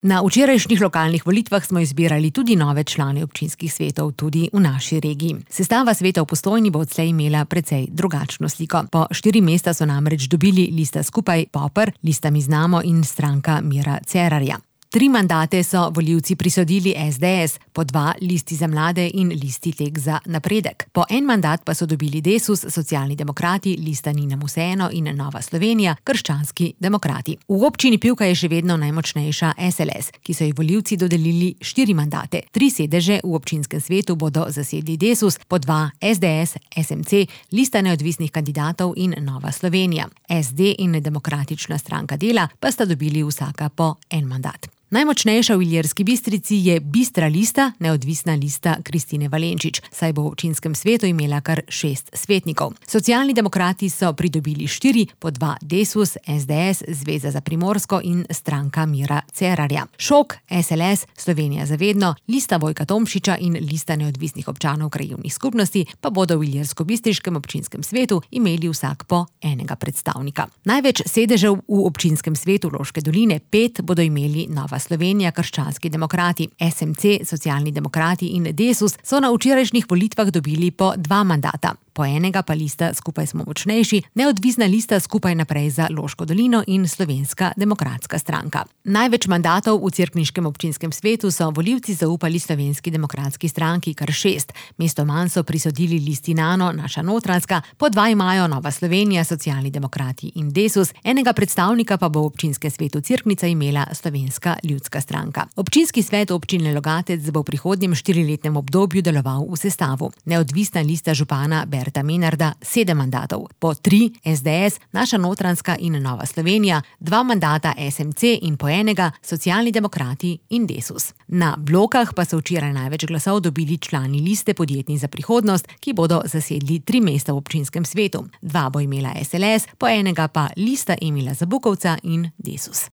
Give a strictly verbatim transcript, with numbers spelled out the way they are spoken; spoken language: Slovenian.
Na včerajšnjih lokalnih volitvah smo izbirali tudi nove člane občinskih svetov, tudi v naši regiji. Sestava sveta v Postojni bo odslej imela precej drugačno sliko. Po štiri mesta so namreč dobili lista Skupaj, Poper, lista Mi znamo in stranka Mira Cerarja. Tri mandate so volivci prisodili es de es, po dva Listi za mlade in Listi Tek za napredek. Po en mandat pa so dobili Desus, Socialni demokrati, Lista Ni nam vseeno in Nova Slovenija, Krščanski demokrati. V občini Pivka je še vedno najmočnejša es el es, ki so ji volivci dodelili štiri mandate. Tri sedeže v občinskem svetu bodo zasedli Desus, po dva es de es, es em ce, Lista neodvisnih kandidatov in Nova Slovenija. es de in Demokratična stranka dela pa sta dobili vsaka po en mandat. Najmočnejša v Ilirski Bistrici je Bistra lista, neodvisna lista Kristine Valenčič, saj bo v občinskem svetu imela kar šest svetnikov. Socialni demokrati so pridobili štiri, po dva Desus, es de es, Zveza za Primorsko in stranka Mira Cerarja. Šok, es el es, Slovenija za vedno, Lista Vojka Tomšiča in Lista neodvisnih občanov krajevnih skupnosti pa bodo v Ilirsko-Bistriškem občinskem svetu imeli vsak po enega predstavnika. Največ sedežev v občinskem svetu Loške doline, pet, bodo imeli Nova Slovenija, Krščanski demokrati. es em ce, Socialni demokrati in Desus so na včerajšnjih volitvah dobili po dva mandata. Po enega pa lista Skupaj smo močnejši, neodvisna lista Skupaj naprej za Loško dolino in Slovenska demokratska stranka. Največ mandatov v cerkniškem občinskem svetu so volivci zaupali Slovenski demokratski stranki, kar šest. Mesto manj so prisodili Listi Nano, Naša Notranjska, po dva imajo Nova Slovenija, Socialni demokrati in Desus, enega predstavnika pa bo v občinskem svetu Cerknica imela Slovenska ljudska stranka. Občinski svet občine Logatec bo v prihodnjem štiriletnem obdobju deloval v sestavu. Neodvisna lista župana Berta Menarda sedem mandatov, po tri es de es, Naša Notranjska in Nova Slovenija, dva mandata es em ce in po enega Socialni demokrati in Desus. Na blokah pa so včeraj največ glasov dobili člani liste Podjetni za prihodnost, ki bodo zasedli tri mesta v občinskem svetu. Dva bo imela es el es, po enega pa Lista Emila Zabukovca in Desus.